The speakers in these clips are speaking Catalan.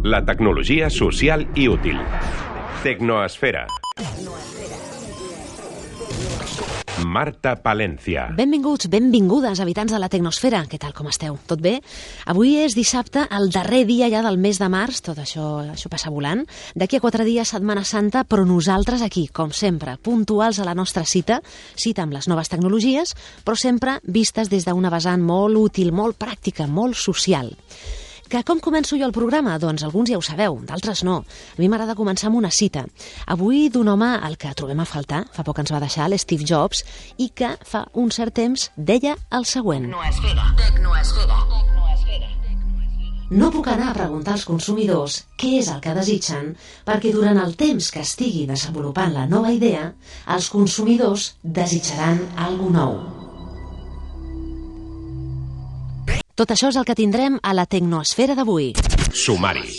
La tecnologia social i útil. Tecnoesfera. Marta Palencia. Benvinguts, benvingudes, habitants de la Tecnosfera. Què tal, com esteu? Tot bé? Avui és dissabte, el darrer dia ja del mes de març, tot això passa volant. D'aquí a 4 dies, Setmana Santa, però nosaltres aquí, com sempre, puntuals a la nostra cita amb les noves tecnologies, però sempre vistes des d'una vessant molt útil, molt pràctica, molt social. Que com començo jo el programa? Doncs alguns ja ho sabeu, d'altres no. A mi m'agrada començar amb una cita. Avui d'un home al que trobem a faltar, fa poc ens va deixar, l'Steve Jobs, i que fa un cert temps deia el següent. Tecnoesfera. No puc anar a preguntar als consumidors què és el que desitgen, perquè durant el temps que estigui desenvolupant la nova idea, els consumidors desitjaran alguna nou. Tot això és el que tindrem a la Tecnoesfera d'avui. Sumari.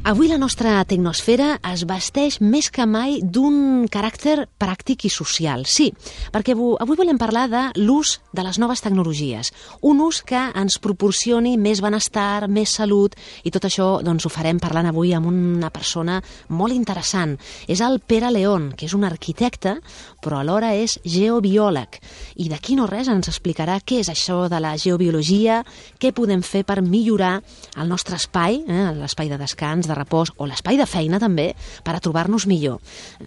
Avui la nostra tecnosfera es vesteix més que mai d'un caràcter pràctic i social. Sí, perquè avui volem parlar de l'ús de les noves tecnologies. Un ús que ens proporcioni més benestar, més salut, i tot això doncs, ho farem parlant avui amb una persona molt interessant. És el Pere León, que és un arquitecte, però alhora és geobiòleg. I d'aquí no res ens explicarà què és això de la geobiologia, què podem fer per millorar el nostre espai, l'espai de descans, de repòs o l'espai de feina també, per a trobar-nos millor.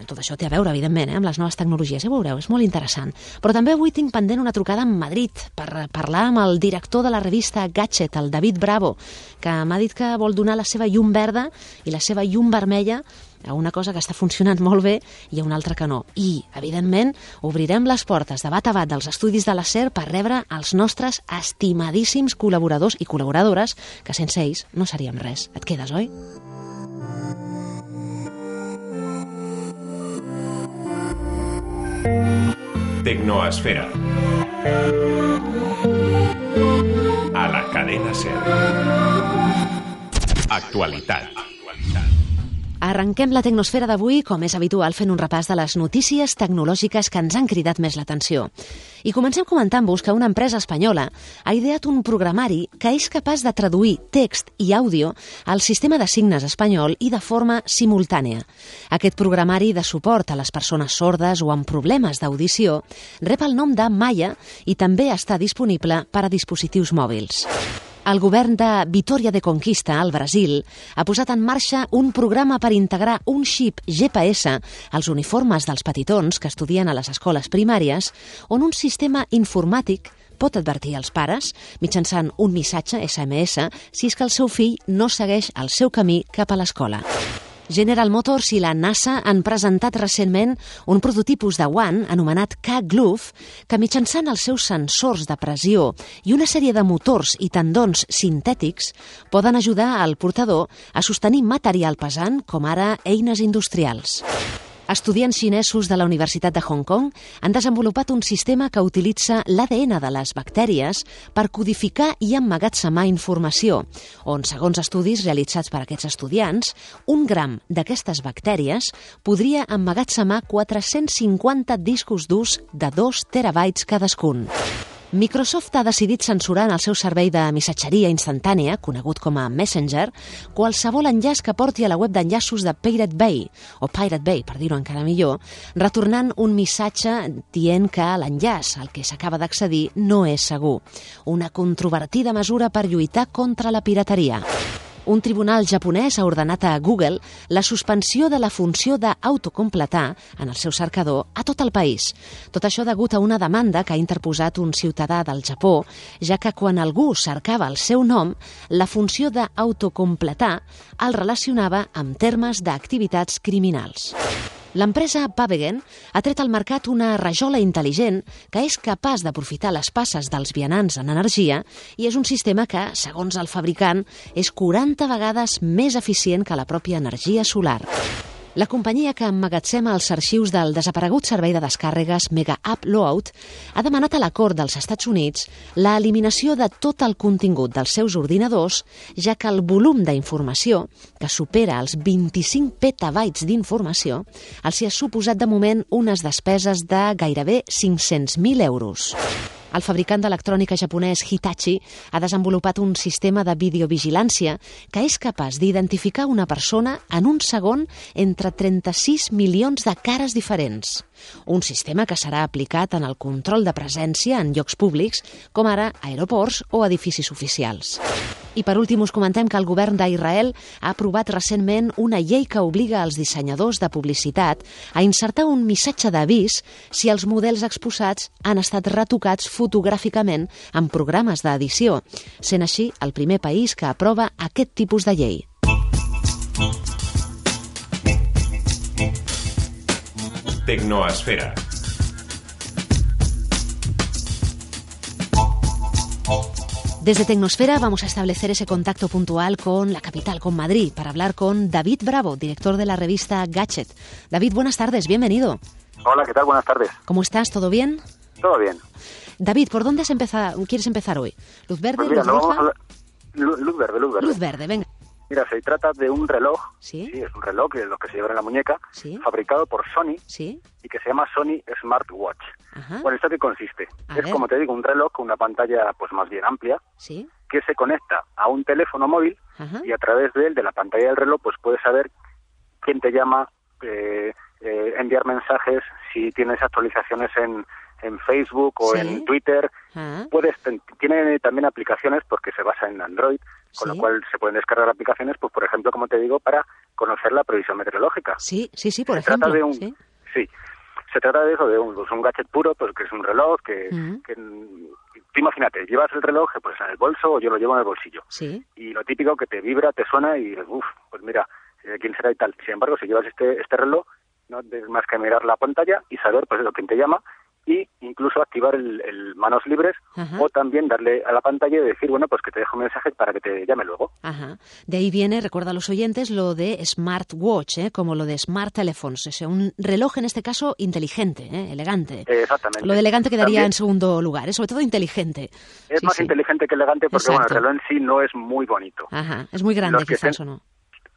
Tot això té a veure, evidentment, amb les noves tecnologies, ja ho veureu, és molt interessant. Però també avui tinc pendent una trucada a Madrid per parlar amb el director de la revista Gadget, el David Bravo, que m'ha dit que vol donar la seva llum verda i la seva llum vermella a una cosa que està funcionant molt bé i a una altra que no. I, evidentment, obrirem les portes de bat a bat dels estudis de la SER per rebre els nostres estimadíssims col·laboradors i col·laboradores, que sense ells no seríem res. Et quedes, oi? Tecnoesfera. A la cadena SER. Actualitat. Arrenquem la tecnosfera d'avui, com és habitual, fent un repàs de les notícies tecnològiques que ens han cridat més l'atenció. I comencem comentant-vos que una empresa espanyola ha ideat un programari que és capaç de traduir text i àudio al sistema de signes espanyol i de forma simultània. Aquest programari de suport a les persones sordes o amb problemes d'audició rep el nom de Maya i també està disponible per a dispositius mòbils. El govern de Vitória de Conquista, al Brasil, ha posat en marxa un programa per integrar un xip GPS als uniformes dels petitons que estudien a les escoles primàries, on un sistema informàtic pot advertir als pares, mitjançant un missatge SMS, si és que el seu fill no segueix el seu camí cap a l'escola. General Motors i la NASA han presentat recentment un prototipus de guant anomenat K-Glove que mitjançant els seus sensors de pressió i una sèrie de motors i tendons sintètics poden ajudar al portador a sostenir material pesant com ara eines industrials. Estudiants xinesos de la Universitat de Hong Kong han desenvolupat un sistema que utilitza l'ADN de les bactèries per codificar i emmagatzemar informació, on, segons estudis realitzats per aquests estudiants, 1 gram d'aquestes bactèries podria emmagatzemar 450 discos durs de 2 terabytes cadascun. Microsoft ha decidit censurar en el seu servei de missatgeria instantània, conegut com a Messenger, qualsevol enllaç que porti a la web d'enllaços de Pirate Bay, per dir-ho encara millor, retornant un missatge dient que l'enllaç al que s'acaba d'accedir no és segur. Una controvertida mesura per lluitar contra la pirateria. Un tribunal japonès ha ordenat a Google la suspensió de la funció d'autocompletar en el seu cercador a tot el país. Tot això degut a una demanda que ha interposat un ciutadà del Japó, ja que quan algú cercava el seu nom, la funció d'autocompletar el relacionava amb termes d'activitats criminals. L'empresa Pavegen ha tret al mercat una rajola intel·ligent que és capaç d'aprofitar les passes dels vianants en energia i és un sistema que, segons el fabricant, és 40 vegades més eficient que la pròpia energia solar. La companyia que emmagatzema els arxius del desaparegut servei de descàrregues Mega Upload ha demanat a la Cort dels Estats Units l'eliminació de tot el contingut dels seus ordinadors, ja que el volum d'informació, que supera els 25 petabytes d'informació, els hi ha suposat de moment unes despeses de gairebé 500.000 euros. El fabricant d'electrònica japonès Hitachi ha desenvolupat un sistema de videovigilància que és capaç d'identificar una persona en un segon entre 36 milions de cares diferents. Un sistema que serà aplicat en el control de presència en llocs públics, com ara aeroports o edificis oficials. I per últim us comentem que el govern d'Israel ha aprovat recentment una llei que obliga els dissenyadors de publicitat a insertar un missatge d'avís si els models exposats han estat retocats fotogràficament en programes d'edició, sent així el primer país que aprova aquest tipus de llei. Tecnoesfera. Desde Tecnosfera vamos a establecer ese contacto puntual con la capital, con Madrid, para hablar con David Bravo, director de la revista Gadget. David, buenas tardes, bienvenido. Hola, ¿qué tal? Buenas tardes. ¿Cómo estás? ¿Todo bien? Todo bien. David, ¿por dónde quieres empezar hoy? ¿Luz verde, Pues mira, luz roja? Luz verde. Luz verde, venga. Mira, se trata de un reloj, ¿Sí? es un reloj, que es lo que se lleva en la muñeca, ¿Sí? fabricado por Sony ¿Sí? y que se llama Sony Smartwatch. Ajá. Bueno, ¿esto qué consiste? A Es, ver. como te digo, un reloj con una pantalla pues más bien amplia, ¿Sí? que se conecta a un teléfono móvil Ajá. y a través de él, de la pantalla del reloj, pues puedes saber quién te llama, enviar mensajes, si tienes actualizaciones en Facebook o Sí. en Twitter. Ah, Tiene también aplicaciones porque se basa en Android, con Sí. lo cual se pueden descargar aplicaciones, pues por ejemplo, como te digo, para conocer la previsión meteorológica. sí, por Se trata ejemplo. de un, ¿Sí? sí, se trata de eso, de un gadget puro, pues que es un reloj que, Ujú. tú imagínate, llevas el reloj pues en el bolso o yo lo llevo en el bolsillo. Sí. Y lo típico que te vibra, te suena y pues mira, quién será y tal. Sin embargo, si llevas este reloj, no tienes más que mirar la pantalla y saber pues eso, quién te llama, y incluso activar el manos libres, Ajá. o también darle a la pantalla y decir, bueno, pues que te dejo un mensaje para que te llame luego. Ajá. De ahí viene, recuerda a los oyentes, lo de smartwatch, como lo de smart telephones, o sea, un reloj en este caso inteligente, elegante. Exactamente. Lo de elegante quedaría También en segundo lugar, sobre todo inteligente. es Sí, más sí. inteligente que elegante porque bueno, el Exacto. reloj en sí no es muy bonito. Ajá, es muy grande Los que quizás, estén- ¿o no?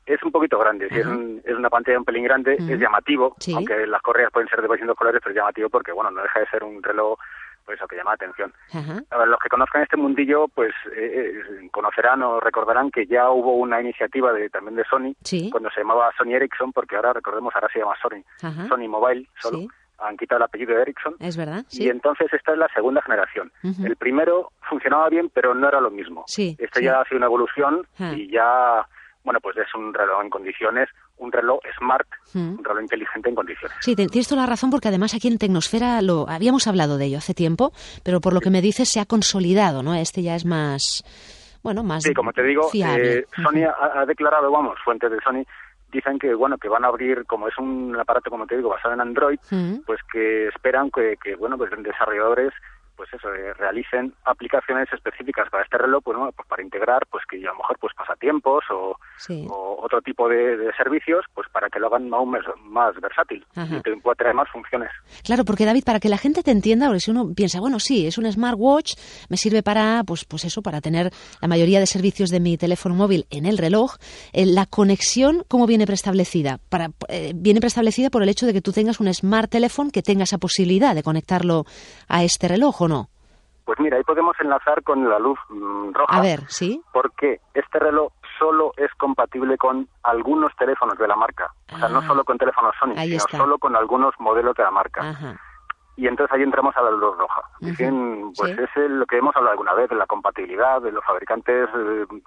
Es un poquito grande, sí, Ajá. es una pantalla un pelín grande, Ujú. es llamativo, Sí. aunque las correas pueden ser de distintos colores, pero es llamativo porque, bueno, no deja de ser un reloj, pues eso que llama la atención. Ajá. A ver, los que conozcan este mundillo, pues conocerán o recordarán que ya hubo una iniciativa también de Sony, Sí. cuando se llamaba Sony Ericsson, porque ahora, recordemos, ahora se llama Sony, Ajá. Sony Mobile, solo, Sí. han quitado el apellido de Ericsson, Es verdad, sí. y entonces esta es la segunda generación. Ujú. El primero funcionaba bien, pero no era lo mismo. Sí, Este sí. ya ha sido una evolución Ah. y ya, bueno, pues es un reloj en condiciones, un reloj smart, Mm. un reloj inteligente en condiciones. Sí, tienes toda la razón porque además aquí en Tecnosfera lo habíamos hablado de ello hace tiempo, pero por lo que me dices se ha consolidado, ¿no? Este ya es más, bueno, más Sí, como te digo, fiable. Sony ha declarado, vamos, fuentes de Sony, dicen que, bueno, que van a abrir, como es un aparato, como te digo, basado en Android, Mm. pues que esperan que bueno, pues desarrolladores pues eso, realicen aplicaciones específicas para este reloj, pues, bueno, pues para integrar, pues que a lo mejor pues pasatiempos o Sí. otro tipo de servicios, pues para que lo hagan aún más versátil Ajá. y que pueda tener más funciones. Claro, porque David, para que la gente te entienda, porque si uno piensa, bueno, sí, es un smartwatch, me sirve para, pues eso, para tener la mayoría de servicios de mi teléfono móvil en el reloj, la conexión, ¿cómo viene preestablecida? Viene preestablecida por el hecho de que tú tengas un smart teléfono que tenga esa posibilidad de conectarlo a este reloj, ¿o no? Pues mira, ahí podemos enlazar con la luz roja. A ver, ¿sí? Porque este reloj solo es compatible con algunos teléfonos de la marca. O sea, no Ah. solo con teléfonos Sony, Ahí sino está. solo con algunos modelos de la marca. Ajá. Y entonces ahí entramos a la luz roja. Ujú. Dicen, pues Sí. es lo que hemos hablado alguna vez, de la compatibilidad, de los fabricantes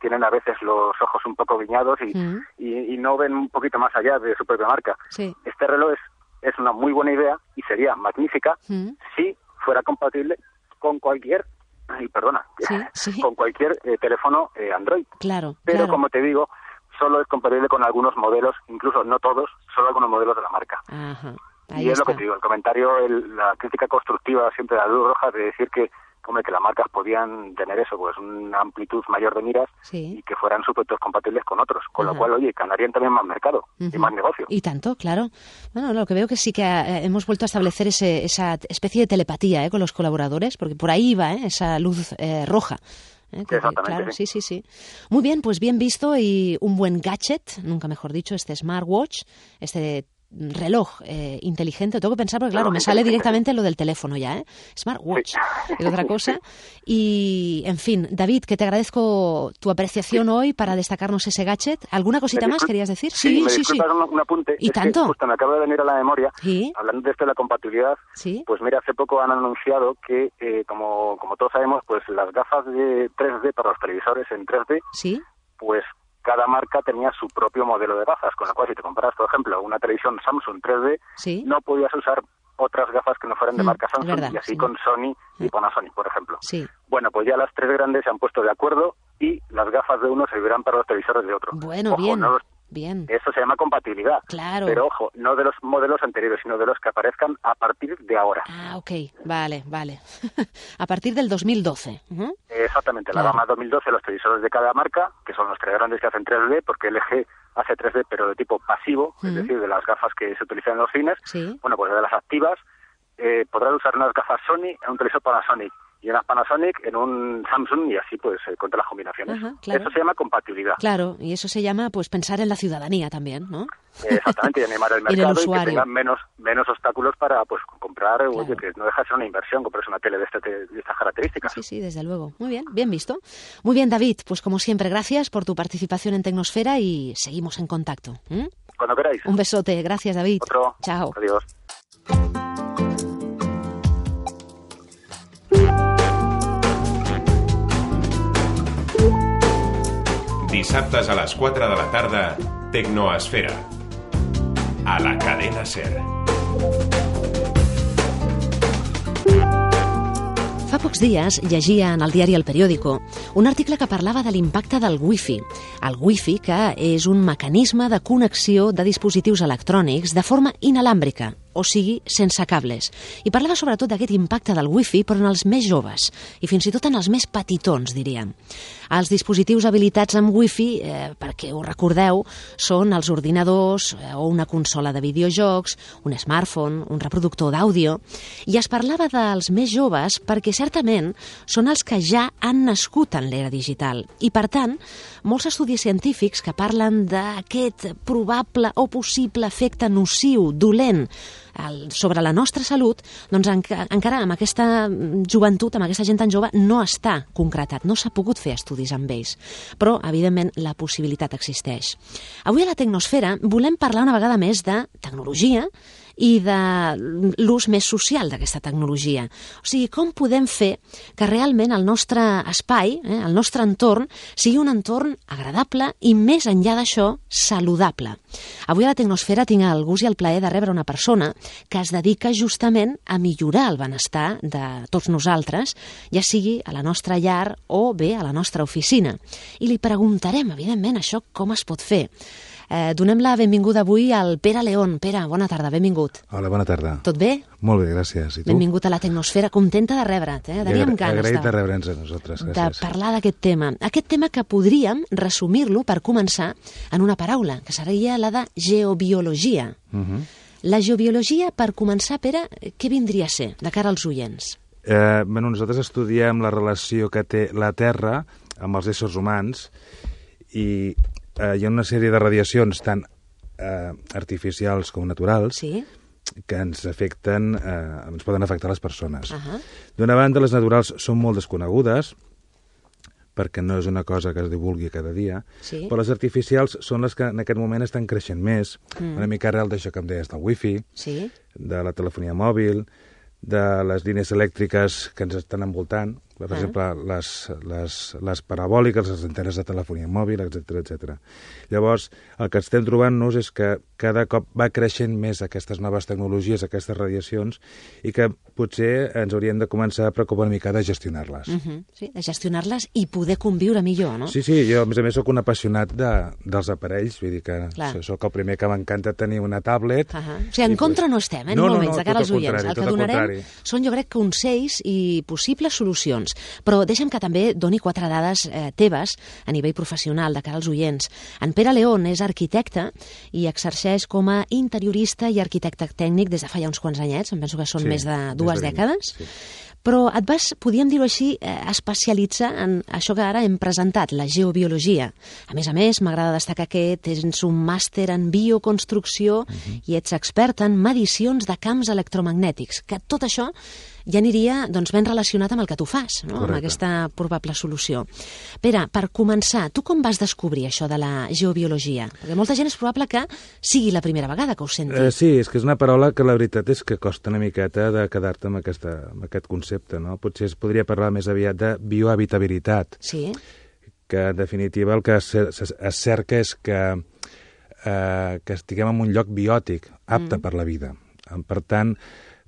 tienen a veces los ojos un poco guiñados Mm. y no ven un poquito más allá de su propia marca. Sí. Este reloj es una muy buena idea y sería magnífica Mm. si fuera compatible con cualquier, Sí, sí. con cualquier teléfono Android. Claro, Pero claro. como te digo, solo es compatible con algunos modelos, incluso no todos, solo algunos modelos de la marca. Ajá. Ahí Y es está. lo que te digo, el comentario, la crítica constructiva siempre de la luz roja de decir que, hombre, que las marcas podían tener eso, pues una amplitud mayor de miras Sí. y que fueran supuestos compatibles con otros, con Ajá. lo cual, oye, ganarían también más mercado y Ujú. más negocio. Y tanto, claro. Bueno, lo que veo que sí que hemos vuelto a establecer esa especie de telepatía con los colaboradores, porque por ahí va esa luz roja. Exactamente, Claro, sí. sí. Muy bien, pues bien visto y un buen gadget, nunca mejor dicho, este smartwatch, este reloj inteligente. Tengo que pensar porque, claro, me sale directamente lo del teléfono ya, Smartwatch, es otra cosa. Y, en fin, David, que te agradezco tu apreciación hoy para destacarnos ese gadget. ¿Alguna cosita más querías decir? Sí. Un apunte. ¿Y tanto? Que justo me acaba de venir a la memoria, ¿Sí? hablando de esto de la compatibilidad, pues mira, hace poco han anunciado que, como todos sabemos, pues las gafas de 3D para los televisores en 3D, ¿Sí? pues cada marca tenía su propio modelo de gafas, con lo cual si te comparas, por ejemplo, una televisión Samsung 3D, ¿Sí? no podías usar otras gafas que no fueran de marca Samsung, verdad, y así sí. con Sony y Panasonic, por ejemplo. Sí. Bueno, pues ya las tres grandes se han puesto de acuerdo y las gafas de uno servirán para los televisores de otro. Bueno, ojo, bien, no bien. eso se llama compatibilidad. Claro. Pero ojo, no de los modelos anteriores, sino de los que aparezcan a partir de ahora. Ah, ok, vale. A partir del 2012. Exactamente, Claro. la gama 2012, los televisores de cada marca, que son los tres grandes que hacen 3D, porque LG hace 3D pero de tipo pasivo, es decir, de las gafas que se utilizan en los cines. Sí. Bueno, pues de las activas, podrás usar unas gafas Sony en un televisor Panasonic y unas Panasonic en un Samsung y así pues contra las combinaciones. Ajá, claro. Eso se llama compatibilidad. Claro, y eso se llama pues pensar en la ciudadanía también, ¿no? Exactamente, y animar el En el mercado y que usuario. tengan menos obstáculos para pues comprar, oye, que no deja de ser una inversión comprarse una tele de estas características. Sí, desde luego. Muy bien, bien visto. Muy bien, David, pues como siempre, gracias por tu participación en Tecnosfera y seguimos en contacto. Cuando queráis. Un besote, gracias, David. Otro. Chao. Adiós. Dissabtes a les 4 de la tarda, Tecnoesfera. A la cadena SER. Fa pocs dies llegia en el diari El Periódico un article que parlava de l'impacte del Wi-Fi. El Wi-Fi, que és un mecanisme de connexió de dispositius electrònics de forma inalàmbrica, o sigui, sense cables. I parlava sobretot d'aquest impacte del Wi-Fi, però en els més joves, i fins i tot en els més petitons, diríem. Els dispositius habilitats amb Wi-Fi, perquè ho recordeu, són els ordinadors o una consola de videojocs, un smartphone, un reproductor d'àudio, i es parlava dels més joves perquè certament són els que ja han nascut en l'era digital. I, per tant, molts estudis científics que parlen d'aquest probable o possible efecte nociu, dolent, sobre la nostra salut, doncs encara amb aquesta joventut, amb aquesta gent tan jove, no està concretat, no s'ha pogut fer estudis amb ells. Però, evidentment, la possibilitat existeix. Avui a la Tecnosfera volem parlar una vegada més de tecnologia i de l'ús més social d'aquesta tecnologia. O sigui, com podem fer que realment el nostre espai, el nostre entorn, sigui un entorn agradable i, més enllà d'això, saludable. Avui a la Tecnosfera tinc el gust i el plaer de rebre una persona que es dedica justament a millorar el benestar de tots nosaltres, ja sigui a la nostra llar o bé a la nostra oficina. I li preguntarem, evidentment, això com es pot fer. Donem la benvinguda avui al Pere León. Pere, bona tarda, benvingut. Hola, bona tarda. Tot bé? Molt bé, gràcies. I tu? Benvingut a la Tecnosfera, contenta de rebre't. Teníem ganes agraït de rebre'ns a nosaltres, gràcies. De parlar d'aquest tema. Aquest tema que podríem resumir-lo per començar en una paraula, que seria la de geobiologia. La geobiologia, per començar, Pere, què vindria a ser de cara als oients? Nosaltres estudiem la relació que té la Terra amb els éssers humans i hi ha una sèrie de radiacions tant artificials com naturals que ens afecten, ens poden afectar les persones. D'una banda, les naturals són molt desconegudes perquè no és una cosa que es divulgui cada dia, però les artificials són les que en aquest moment estan creixent més, una mica arrel d'això que em deies del wifi, de la telefonia mòbil, de les línies elèctriques que ens estan envoltant, per exemple, les parabòliques, les antenes de telefonia mòbil, etc. Llavors, el que estem trobant-nos és que cada cop va creixent més aquestes noves tecnologies, aquestes radiacions, i que potser ens hauríem de començar a preocupar una mica de gestionar-les. Sí, de gestionar-les i poder conviure millor, no? Sí, jo a més soc un apassionat dels aparells, vull dir que soc el primer que m'encanta tenir una tablet. O sigui, en contra no estem, ni molt menys, de cara als oients. El que donarem són, jo crec, consells i possibles solucions. Però deixa'm que també doni 4 dades teves a nivell professional de cara als oients. En Pere León és arquitecte i exerceix com a interiorista i arquitecte tècnic des de fa ja uns quants anyets, em penso que són més de 2 dècades. Però et vas, podríem dir-ho així, especialitzar en això que ara hem presentat, la geobiologia. A més, m'agrada destacar que tens un màster en bioconstrucció i ets expert en medicions de camps electromagnètics, que tot això ja aniria doncs, ben relacionat amb el que tu fas, no? Amb aquesta probable solució. Pere, per començar, tu com vas descobrir això de la geobiologia? Perquè molta gent és probable que sigui la primera vegada que ho senti. Sí, és que és una paraula que la veritat és que costa una miqueta de quedar-te amb aquest concepte, no? Potser es podria parlar més aviat de biohabitabilitat. Sí. Que en definitiva el que es cerca és que estiguem en un lloc biòtic, apte per la vida. Per tant,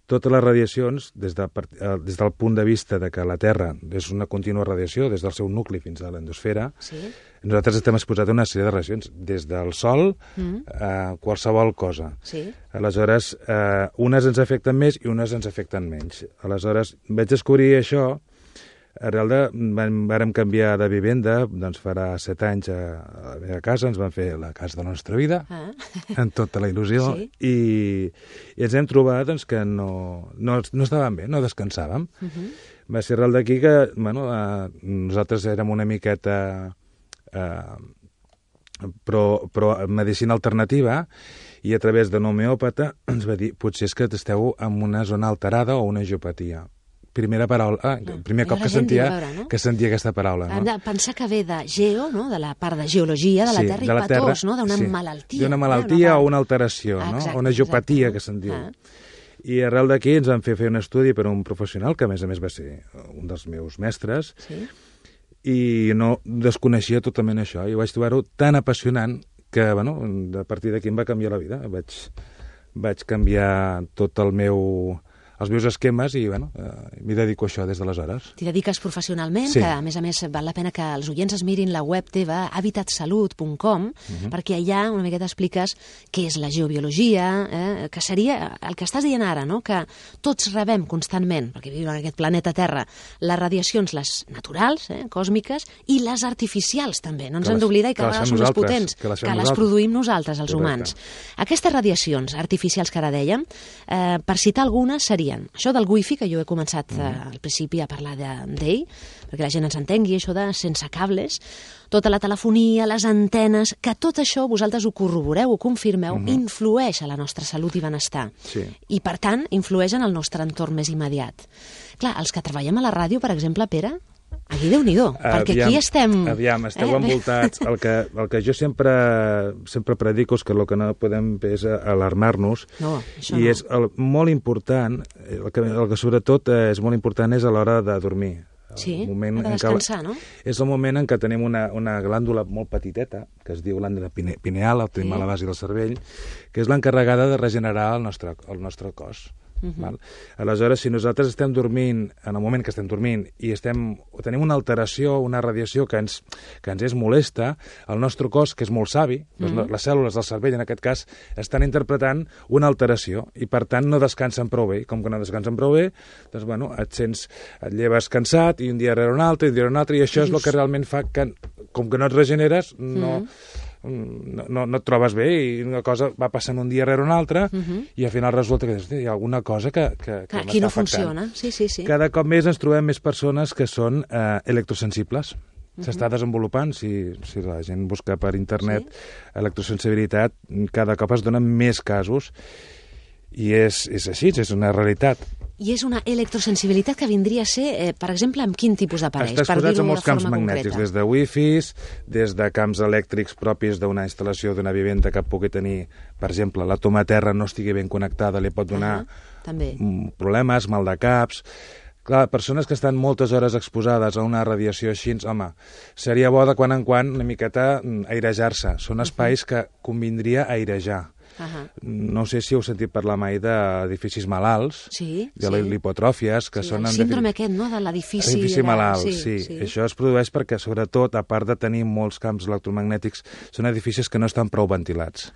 totes les radiacions, des del punt de vista de que la Terra és una contínua radiació, des del seu nucli fins a l'endosfera, nosaltres estem exposats a una sèrie de radiacions, des del Sol a qualsevol cosa. Aleshores, unes ens afecten més i unes ens afecten menys. Aleshores, vaig descobrir això. Arrel vàrem canviar de vivenda, doncs farà 7 anys a la meva casa, ens van fer la casa de la nostra vida, amb tota la il·lusió, i ens hem trobat doncs, que no estàvem bé, no descansàvem. Va ser arrel d'aquí que nosaltres érem una miqueta pro medicina alternativa, i a través d'un homeòpata ens va dir potser és que esteu en una zona alterada o una geopatia. Primer cop que sentia aquesta paraula. Hem de pensar que ve de geo, no? De la part de geologia de la Terra, i patós, no? D'una malaltia. D'una malaltia o una alteració, no? O una geopatia, que se'n diu. I arrel d'aquí ens van fer un estudi per un professional, que a més va ser un dels meus mestres, i no desconeixia totalment això. I vaig trobar-ho tan apassionant que, a partir d'aquí em va canviar la vida. Vaig canviar tot els meus esquemes i, m'hi dedico a això des d'aleshores. T'hi dediques professionalment, que a més val la pena que els oients es mirin la web teva, habitatsalut.com, perquè allà una miqueta expliques què és la geobiologia, que seria el que estàs dient ara, no? Que tots rebem constantment, perquè vivim en aquest planeta Terra, les radiacions, les naturals, còsmiques, i les artificials també. No ens hem d'oblidar, i cada vegada són més potents, que les produïm nosaltres, els humans. Aquestes radiacions artificials que ara dèiem, per citar algunes, serien això del wifi, que jo he començat al principi a parlar d'ell, perquè la gent ens entengui, això de sense cables, tota la telefonia, les antenes, que tot això vosaltres ho corroboreu, ho confirmeu, influeix a la nostra salut i benestar. I, per tant, influeix en el nostre entorn més immediat. Clar, els que treballem a la ràdio, per exemple, Pere, aquí Déu-n'hi-do, perquè aquí estem... Esteu envoltats. El que jo sempre predico és que el que no podem fer és alarmar-nos. No, això no. I és molt important, el que sobretot és molt important és a l'hora de dormir. Sí, de descansar, no? És el moment en què tenim una glàndula molt petiteta, que es diu glàndula pineal, la tenim a la base del cervell, que és l'encarregada de regenerar el nostre cos. Aleshores, si nosaltres estem dormint, en el moment que estem dormint, i tenim una alteració, una radiació que ens és molesta, el nostre cos, que és molt savi, les cèl·lules del cervell, en aquest cas, estan interpretant una alteració, i per tant no descansen prou bé. Com que no descansen prou bé, doncs, et lleves cansat, i un dia rere un altre, i això és el que realment fa que, com que no et regeneres, no et trobes bé, i una cosa va passant un dia rere un altre, i al final resulta que hi ha alguna cosa que m'està aquí no afectant. Funciona. Sí. Cada cop més ens trobem més persones que són electrosensibles. S'està desenvolupant, si la gent busca per internet electrosensibilitat, cada cop es donen més casos, i és així, és una realitat. I és una electrosensibilitat que vindria a ser, per exemple, amb quin tipus d'aparells? Està exposats a molts camps magnètics, des de wifis, des de camps elèctrics propis d'una instal·lació d'una vivenda que pugui tenir, per exemple, la toma a terra no estigui ben connectada, li pot donar problemes, mal de caps. Clar, persones que estan moltes hores exposades a una radiació així, home, seria bo de quan en quan una miqueta airejar-se. Són espais que convindria airejar. No sé si heu sentit parlar mai d'edificis malalts, de lipotròfies, que són... El síndrome aquest, no?, de l'edifici malalt, sí. Això es produeix perquè, sobretot, a part de tenir molts camps electromagnètics, són edificis que no estan prou ventilats.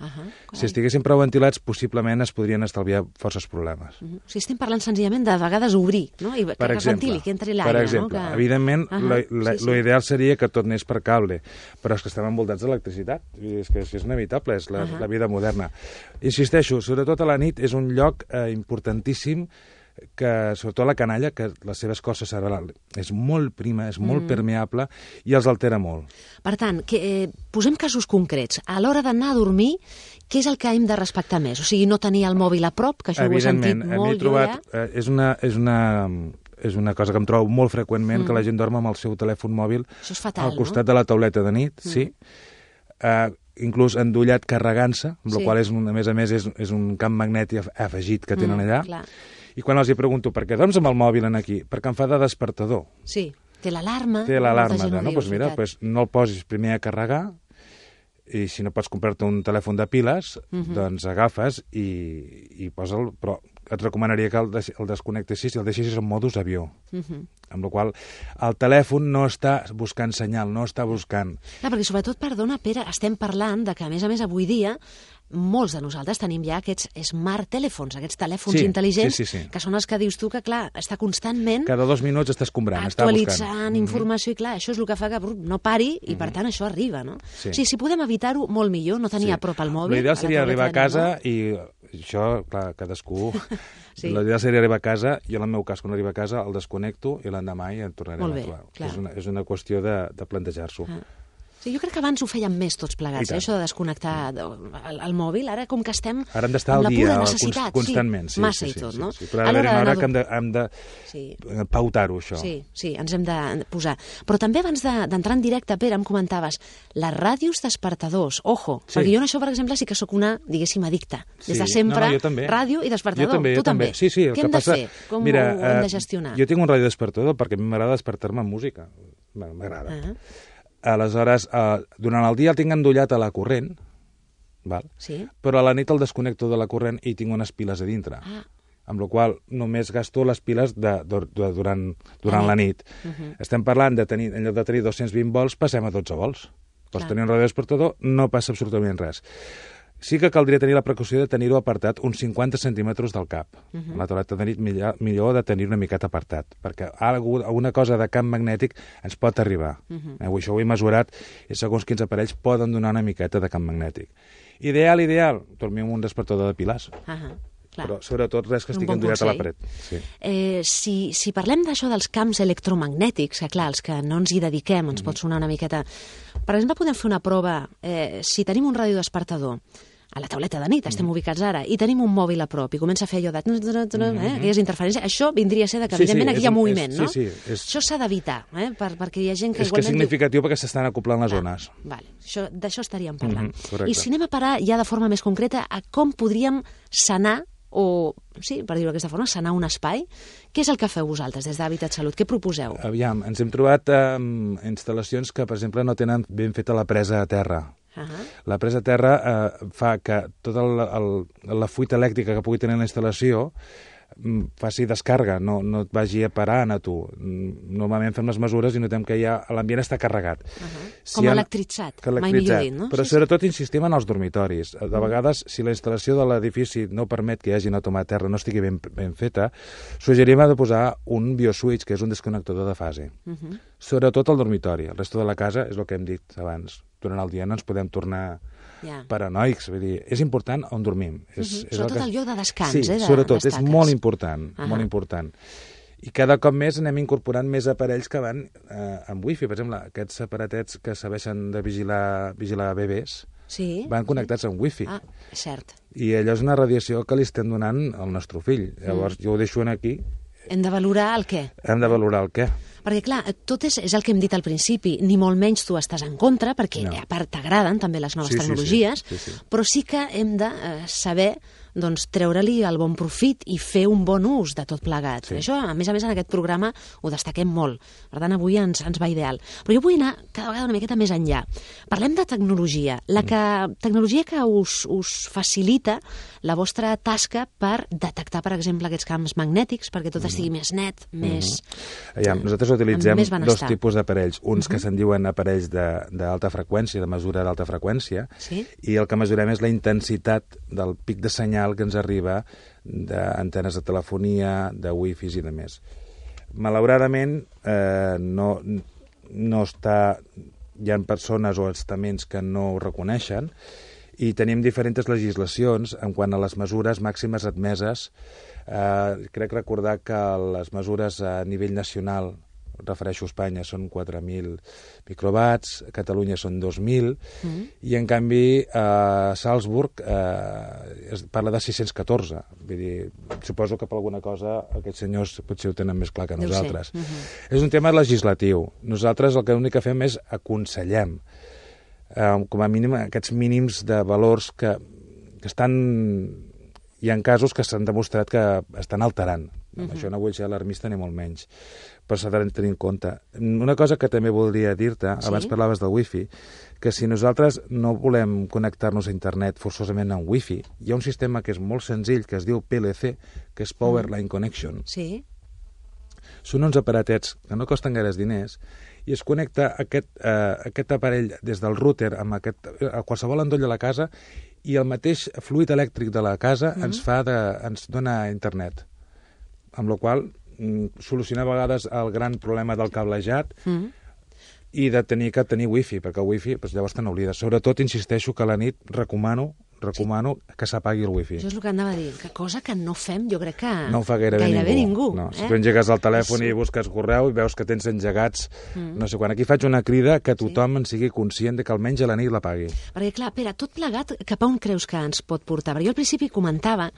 Si estiguessin prou ventilats, possiblement es podrien estalviar forces problemes. O sigui, estem parlant senzillament de vegades obrir, no?, i que es ventili, que entri l'aire, no? Per exemple, evidentment, l'ideal seria que tot anés per cable, però és que estem envoltats d'electricitat, és que és inevitable, és la vida moderna. Insisteixo, sobretot a la nit és un lloc importantíssim que sobretot la canalla, que la seva escorça cerebral és molt prima, és molt permeable i els altera molt. Per tant, posem casos concrets. A l'hora d'anar a dormir, què és el que hem de respectar més? O sigui, no tenir el mòbil a prop, que això ho he sentit molt. Evidentment, és una cosa que em trobo molt freqüentment, que la gent dorm amb el seu telèfon mòbil al costat de la tauleta de nit, sí. Inclús endollat carregant-se, amb la qual a més a més és un camp magnètic afegit que tenen allà. I quan els hi pregunto, per què dorms amb el mòbil aquí? Perquè em fa de despertador. Sí, té l'alarma. Doncs mira, no el posis primer a carregar, i si no pots comprar-te un telèfon de piles, doncs agafes i posa'l, però et recomanaria que el desconnectessis i el deixessis en modus avió. Amb la qual el telèfon no està buscant senyal, no està buscant... Perquè sobretot, perdona, Pere, estem parlant de que, a més avui dia, molts de nosaltres tenim ja aquests smart telèfons, aquests telèfons intel·ligents, que són els que dius tu que, clar, està constantment... Cada 2 minuts està escombrant, està buscant. Actualitzant informació, i clar, això és el que fa que no pari, i per tant això arriba, no? O sigui, si podem evitar-ho, molt millor, no tenir a prop el mòbil... L'ideal seria arribar a casa i... Això, clar, cadascú... L'ideal seria arribar a casa, jo en el meu cas, quan arribo a casa, el desconnecto i l'endemà ja el tornarem a trobar. És una qüestió de plantejar-s'ho. Sí, jo crec que abans ho fèiem més tots plegats, això de desconnectar el mòbil. Ara, com que estem ara hem d'estar al dia, constantment. Massa i tot, no? Però ha d'haver una hora que hem de pautar-ho, això. Sí, ens hem de posar. Però també abans d'entrar en directe, Pere, em comentaves, les ràdios despertadors, ojo, perquè jo en això, per exemple, sí que sóc una, diguéssim, addicta. Des de sempre, ràdio i despertador. Tu també. Sí, què hem de fer? Com ho hem de gestionar? Jo tinc un ràdio despertador perquè a mi m'agrada despertar-me amb música. M'agrada. Aleshores, durant el dia el tinc endollat a la corrent, però a la nit el desconnecto de la corrent i tinc unes piles a dintre, amb la qual només gasto les piles durant la nit. Estem parlant de tenir, en lloc de tenir 220 volts, passem a 12 volts. Pots tenir un ràdio despertador, no passa absolutament res. Sí que caldria tenir la precaució de tenir-ho apartat uns 50 centímetres del cap. La tauleta de nit millor de tenir una miqueta apartat, perquè alguna cosa de camp magnètic ens pot arribar. Això ho he mesurat i segons quins aparells poden donar una miqueta de camp magnètic. Ideal, dormir amb un despertador de piles. Però sobretot res que estigui endollat a la paret. Si parlem d'això dels camps electromagnètics, que clar, els que no ens hi dediquem ens pot sonar una miqueta... Per exemple, podem fer una prova, si tenim un radiodespertador a la tauleta de nit, estem ubicats ara, i tenim un mòbil a prop, i comença a fer allò de... aquelles interferències, això vindria a ser que, evidentment, aquí hi ha moviment, no? Això s'ha d'evitar, perquè hi ha gent que igualment... És que és significatiu perquè s'estan acoplant les zones. D'això estaríem parlant. I si anem a parar ja de forma més concreta a com podríem sanar o, sí, per dir-ho d'aquesta forma, sanar un espai. Què és el que feu vosaltres des d'Hàbitat Salut? Què proposeu? Aviam, ens hem trobat instal·lacions que, per exemple, no tenen ben feta la presa a terra. La presa a terra fa que tota la fuita elèctrica que pugui tenir la instal·lació faci descarga, no et vagi a parar a tu. Normalment fem les mesures i notem que ja l'ambient està carregat. Com electritzat, mai millor dit, no? Però sobretot insistim en els dormitoris. De vegades, si la instal·lació de l'edifici no permet que hi hagi una toma a terra, no estigui ben feta, suggerim de posar un bioswitch, que és un desconnectador de fase. Sobretot al dormitori. El resto de la casa és el que hem dit abans. Durant el dia no ens podem tornar paranoics, vull dir, és important on dormim. Sobretot el lloc de descans, Sí, sobretot, és molt important, molt important. I cada cop més anem incorporant més aparells que van amb wifi. Per exemple, aquests aparatets que serveixen de vigilar bebès van connectats amb wifi. Cert. I allò és una radiació que li estem donant al nostre fill. Llavors, jo ho deixo aquí. Hem de valorar el què. Hem de valorar el què. Perquè, clar, tot és el que hem dit al principi, ni molt menys tu estàs en contra, perquè a part t'agraden també les noves tecnologies, però sí que hem de saber treure-li el bon profit i fer un bon ús de tot plegat. Això, a més, en aquest programa ho destaquem molt. Per tant, avui ens va ideal. Però jo vull anar cada vegada una miqueta més enllà. Parlem de tecnologia. Tecnologia que us facilita la vostra tasca per detectar, per exemple, aquests camps magnètics, perquè tot estigui més net, més... Nosaltres utilitzem dos tipus d'aparells. Uns que se'n diuen aparells d'alta freqüència, de mesura d'alta freqüència, i el que mesurem és la intensitat del pic de senyal que ens arriba d'antenes de telefonia, de wifis i de més. Malauradament, no està... Hi ha persones o estaments que no ho reconeixen i tenim diferents legislacions en quant a les mesures màximes admeses. Crec recordar que les mesures a nivell nacional, refereixo a Espanya, són 4.000 microwatts, a Catalunya són 2.000, i en canvi a Salzburg es parla de 614. Vull dir, suposo que per alguna cosa aquests senyors potser ho tenen més clar que nosaltres. És un tema legislatiu. Nosaltres l'únic que fem és aconsellem, com a mínim, aquests mínims de valors que estan... Hi ha casos que s'han demostrat que estan alterant. Això no vull ser alarmista ni molt menys, però s'ha de tenir en compte. Una cosa que també voldria dir-te, abans parlaves del wifi, que si nosaltres no volem connectar-nos a internet forçosament amb wifi, hi ha un sistema que és molt senzill, que es diu PLC, que és Power Line Connection. Sí. Són uns aparatets que no costen gaires diners i es connecta aquest aparell des del router a qualsevol endoll de la casa i el mateix fluid elèctric de la casa ens dona internet. Amb la qual soluciona a vegades el gran problema del cablejat i de tenir wifi, perquè el wifi llavors te n'oblides. Sobretot, insisteixo que a la nit recomano que s'apagui el wifi. Això és el que anava a dir, que cosa que no fem, jo crec que no ho fa gairebé ningú. No. Si tu engegues el telèfon i busques correu i veus que tens engegats, no sé quan. Aquí faig una crida que tothom en sigui conscient de que almenys a la nit l'apagui. Perquè, clar, Pere, tot plegat, cap a on creus que ens pot portar? Perquè jo al principi comentava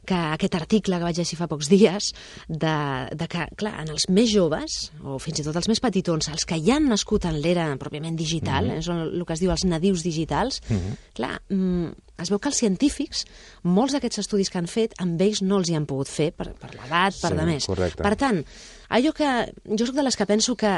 que aquest article que vaig llegir fa pocs dies, de que, clar, en els més joves, o fins i tot els més petitons, els que ja han nascut en l'era pròpiament digital, són el que es diu els nadius digitals, clar, es veu que els científics, molts d'aquests estudis que han fet, amb ells no els hi han pogut fer, per l'edat, per demés. Correcte. Per tant, allò que jo soc de les que penso que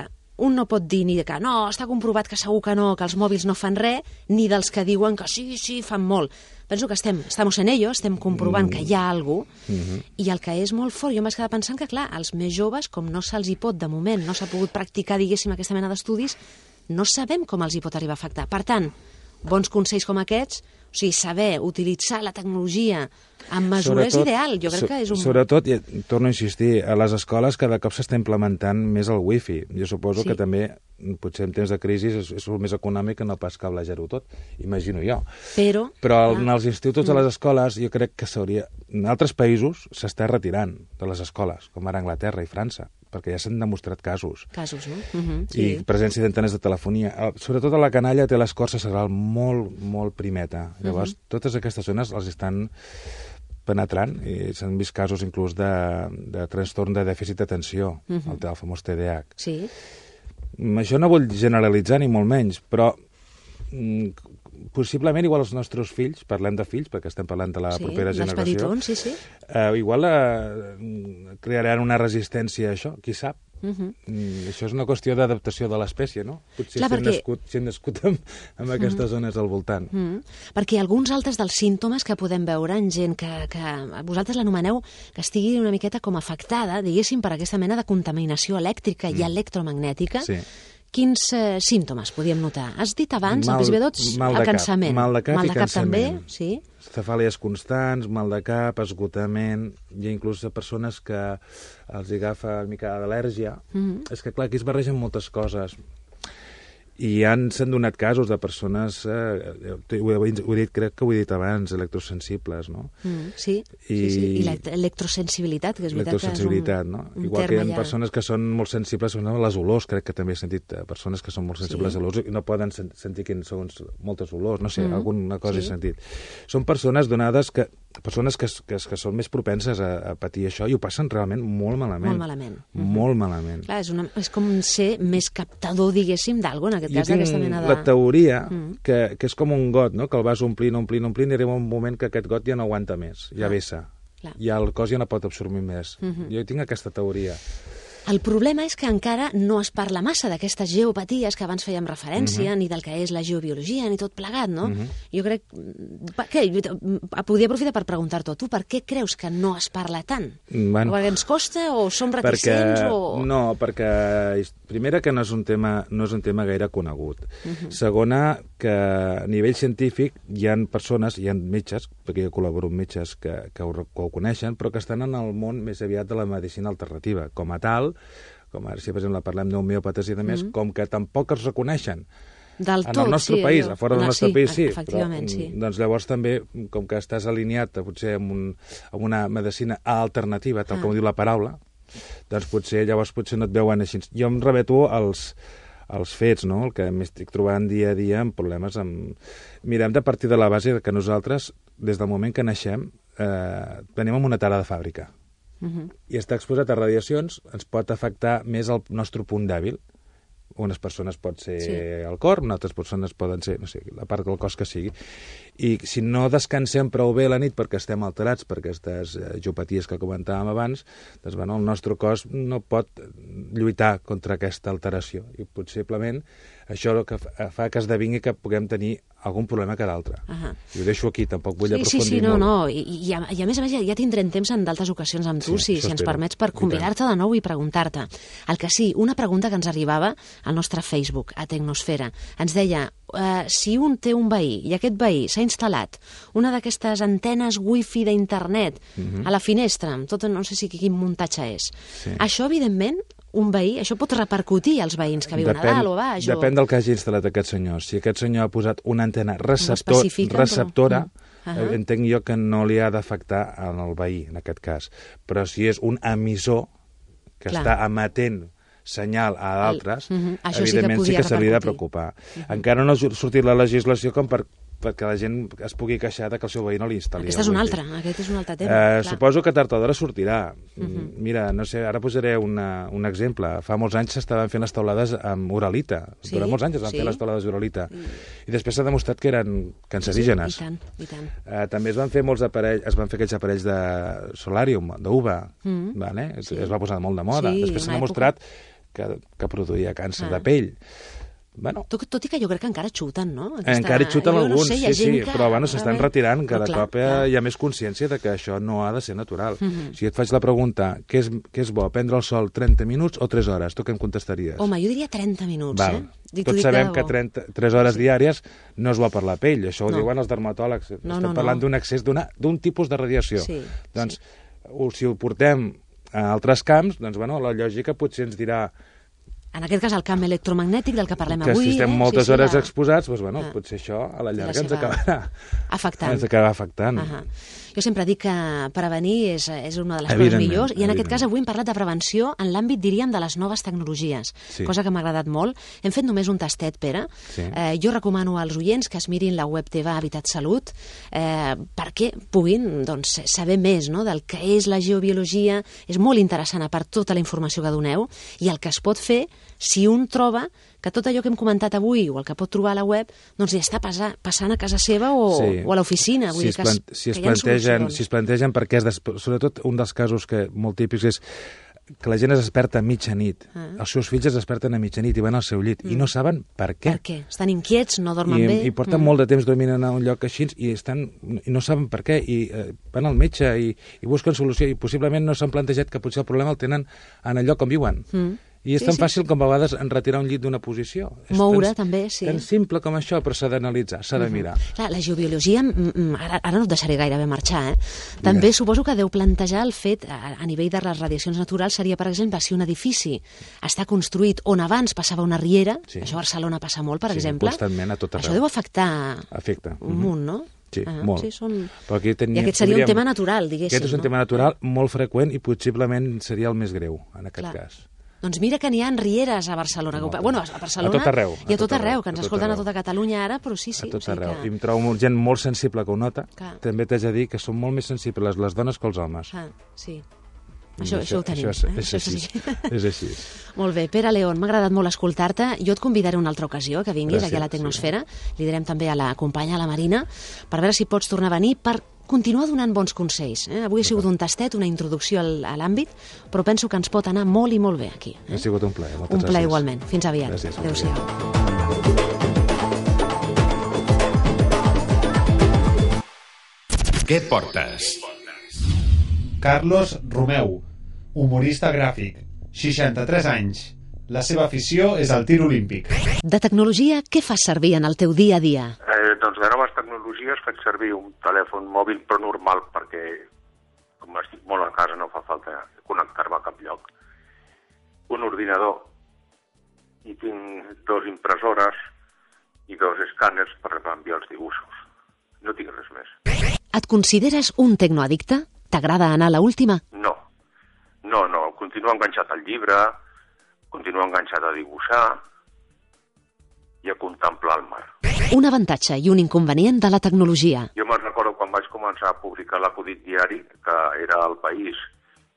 un no pot dir ni que no, està comprovat que segur que no, que els mòbils no fan res, ni dels que diuen que sí, fan molt. Penso que estamos en ello, estem comprovant que hi ha alguna cosa, i el que és molt fort, jo m'he quedat pensant que, clar, els més joves, com no se'ls hi pot, de moment, no s'ha pogut practicar, diguéssim, aquesta mena d'estudis, no sabem com els hi pot arribar a afectar. Per tant, bons consells com aquests, o sigui, saber utilitzar la tecnologia amb mesura és ideal, jo crec que és un... Sobretot, i torno a insistir, a les escoles cada cop s'està implementant més el wifi. Jo suposo que també, potser en temps de crisi, és el més econòmic que no pas cablejar-ho tot, imagino jo. Però en els instituts de les escoles jo crec que s'hauria... En altres països s'està retirant de les escoles, com ara Anglaterra i França, perquè ja s'han demostrat casos. Casos, no? I presència d'antenes de telefonia. Sobretot a la canalla té l'escorça cerebral molt primeta. Llavors, totes aquestes zones els estan penetrant i s'han vist casos inclús de trastorn de dèficit d'atenció, el famós TDAH. Sí. Això no vull generalitzar ni molt menys, però possiblement igual els nostres fills, parlem de fills perquè estem parlant de la propera generació, igual crearan una resistència a això, qui sap. Això és una qüestió d'adaptació de l'espècie, no? Potser si hem nascut amb aquestes zones al voltant. Perquè alguns altres dels símptomes que podem veure en gent que vosaltres l'anomeneu que estigui una miqueta com afectada, diguéssim, per aquesta mena de contaminació elèctrica i electromagnètica, quins símptomes podíem notar? Has dit abans, al principi de tots, el cansament. Mal de cap i també, cansament. sí. Cefàlies constants, mal de cap, esgotament. Hi ha inclús persones que els agafa una mica d'al·lèrgia. És que, clar, aquí es barregen moltes coses. I s'han donat casos de persones, crec que ho he dit abans, electrosensibles, no? Sí. I l'electrosensibilitat, que és veritat que és un no? Igual que hi ha persones que són molt sensibles a les olors, crec que també he sentit persones que són molt sensibles a l'olors i no poden sentir quins són moltes olors, no sé, alguna cosa he sentit. Són persones donades que són més propenses a patir això i ho passen realment molt malament. Molt malament. Clar, és com ser més captador, diguéssim, d'alguna, en aquest cas, d'aquesta mena de... la teoria que és com un got, no? Que el vas omplint i arriba un moment que aquest got ja no aguanta més, ja vessa. Ja el cos ja no pot absorbir més. Jo tinc aquesta teoria. El problema és que encara no es parla massa d'aquestes geopaties que abans fèiem referència, ni del que és la geobiologia, ni tot plegat, no? Jo crec... Podria aprofitar per preguntar-t'ho. Tu per què creus que no es parla tant? Perquè ens costa o som reticents o... No, perquè primera que no és un tema gaire conegut. Segona, que a nivell científic hi ha persones, hi ha metges, perquè jo col·laboro amb metges que ho coneixen, però que estan en el món més aviat de la medicina alternativa. Com a tal, com ara si per exemple parlem d'homeòpates i de més, com que tampoc es reconeixen en el nostre país, a fora del nostre país sí, efectivament, però sí. doncs llavors també, com que estàs alineat potser amb una medicina alternativa, tal com diu la paraula, doncs llavors potser no et veuen així. Jo em remeto als fets, no? El que m'estic trobant dia a dia amb problemes Mirem de partir de la base que nosaltres, des del moment que naixem, venim amb una tara de fàbrica. I estar exposat a radiacions ens pot afectar més el nostre punt dèbil. Unes persones pot ser el cor, altres persones poden ser, no sé, la part del cos que sigui. I si no descansem prou bé la nit perquè estem alterats per aquestes geopaties que comentàvem abans, doncs el nostre cos no pot lluitar contra aquesta alteració. I possiblement això el que fa que esdevingui que puguem tenir algun problema que d'altre. I ho deixo aquí, tampoc vull aprofundir molt. No. I a més a més ja tindrem temps en d'altres ocasions amb tu, si ens permets, per convidar-te de nou i preguntar-te. El que sí, una pregunta que ens arribava al nostre Facebook, a Tecnosfera. Ens deia, si un té un veí i aquest veí s'ha instal·lat una d'aquestes antenes wifi d'internet a la finestra, amb tot, no sé si quin muntatge és. Això, evidentment, un veí, això pot repercutir als veïns que viuen a dalt o a baix? Depèn del que hagi instal·lat aquest senyor. Si aquest senyor ha posat una antena receptora, entenc jo que no li ha d'afectar al veí, en aquest cas. Però si és un emissor que està emetent senyal a d'altres, evidentment sí que se li ha de preocupar. Encara no ha sortit la legislació com perquè la gent es pugui queixar que el seu veí no li instal·li. Aquest és un altre tema. Suposo que tard o d'hora sortirà. Mira, no sé, ara posaré un exemple. Fa molts anys s'estaven fent les taulades amb uralita. Durant molts anys es van fer les taulades d'uralita. I després s'ha demostrat que eren cancerígenes. I tant. També es van fer aquells aparells de solàrium, d'uva. Es va posar molt de moda. Després s'ha demostrat que produïa càncer de pell. Tot i que jo crec que encara xuten, no? Encara xuten alguns, sí, però s'estan retirant. Cada cop hi ha més consciència de que això no ha de ser natural. Si et faig la pregunta, què és bo, prendre el sol 30 minuts o 3 hores? Tu què em contestaries? Home, jo diria 30 minuts, Tots sabem que 3 hores diàries no és bo per la pell, això ho diuen els dermatòlegs. Estem parlant d'un excés d'un tipus de radiació. Doncs, si ho portem a altres camps, doncs, la lògica potser ens dirà en aquest cas el camp electromagnètic del que parlem avui. Que si estem moltes hores exposats, potser això a la llarga ens acabarà afectant. Jo sempre dic que prevenir és una de les coses millors, i en aquest cas avui hem parlat de prevenció en l'àmbit, diríem, de les noves tecnologies, cosa que m'ha agradat molt. Hem fet només un tastet, Pere. Jo recomano als oients que es mirin la web teva Habitat Salut perquè puguin saber més del que és la geobiologia. És molt interessant, a part tota la informació que doneu, i el que es pot fer si un troba que tot allò que hem comentat avui o el que pot trobar a la web li està passant a casa seva o a l'oficina. Si es plantegen perquè sobretot un dels casos molt típics és que la gent es desperta a mitjanit. Els seus fills es desperten a mitjanit i van al seu llit i no saben per què. Per què? Estan inquiets, no dormen bé. I porten molt de temps dormint en un lloc així i no saben per què. I van al metge i busquen solució i possiblement no s'han plantejat que potser el problema el tenen en el lloc on viuen. I és tan fàcil com a vegades retirar un llit d'una posició. Moure, també, sí. Tan simple com això, però s'ha d'analitzar, s'ha de mirar. Clar, la geobiologia, ara no et deixaré gairebé marxar, també suposo que deu plantejar el fet, a nivell de les radiacions naturals, seria, per exemple, si un edifici està construït on abans passava una riera, això a Barcelona passa molt, per exemple, constantment, a tot arreu. Això deu afectar un munt, no? Sí, molt. I aquest seria un tema natural, diguéssim. Aquest és un tema natural molt freqüent i possiblement seria el més greu, en aquest cas. Doncs mira que n'hi ha rieres a Barcelona. Bueno, a Barcelona a tot arreu, i a tot arreu, que ens escolten a tota Catalunya ara, però sí. A tot arreu. I em trobo gent molt sensible que ho nota. També t'haig de dir que són molt més sensibles les dones que els homes. Sí. Això ho tenim. És així. Molt bé. Pere León, m'ha agradat molt escoltar-te. Jo et convidaré una altra ocasió que vinguis aquí a la Tecnosfera. Li direm també a la companya, a la Marina, per veure si pots tornar a venir per continuar donant bons consells. Avui ha sigut un tastet, una introducció a l'àmbit, però penso que ens pot anar molt i molt bé aquí. Ha sigut un plaer. Un plaer igualment. Fins aviat. Adéu-siau. Què portes? Carlos Romeu, humorista gràfic, 63 anys. La seva afició és el tir olímpic. De tecnologia, què fas servir en el teu dia a dia? Doncs de noves tecnologies faig servir un telèfon mòbil però normal perquè com estic molt a casa no fa falta connectar-me a cap lloc. Un ordinador i tinc 2 impressores i 2 escàners per enviar els dibuixos. No tinc res més. Et consideres un tecnoaddicte? T'agrada anar a l'última? No. Continuo enganxat al llibre, continuo enganxat a dibuixar i a contemplar el mar. Un avantatge i un inconvenient de la tecnologia. Jo me'n recordo quan vaig començar a publicar l'acudit diari, que era al País,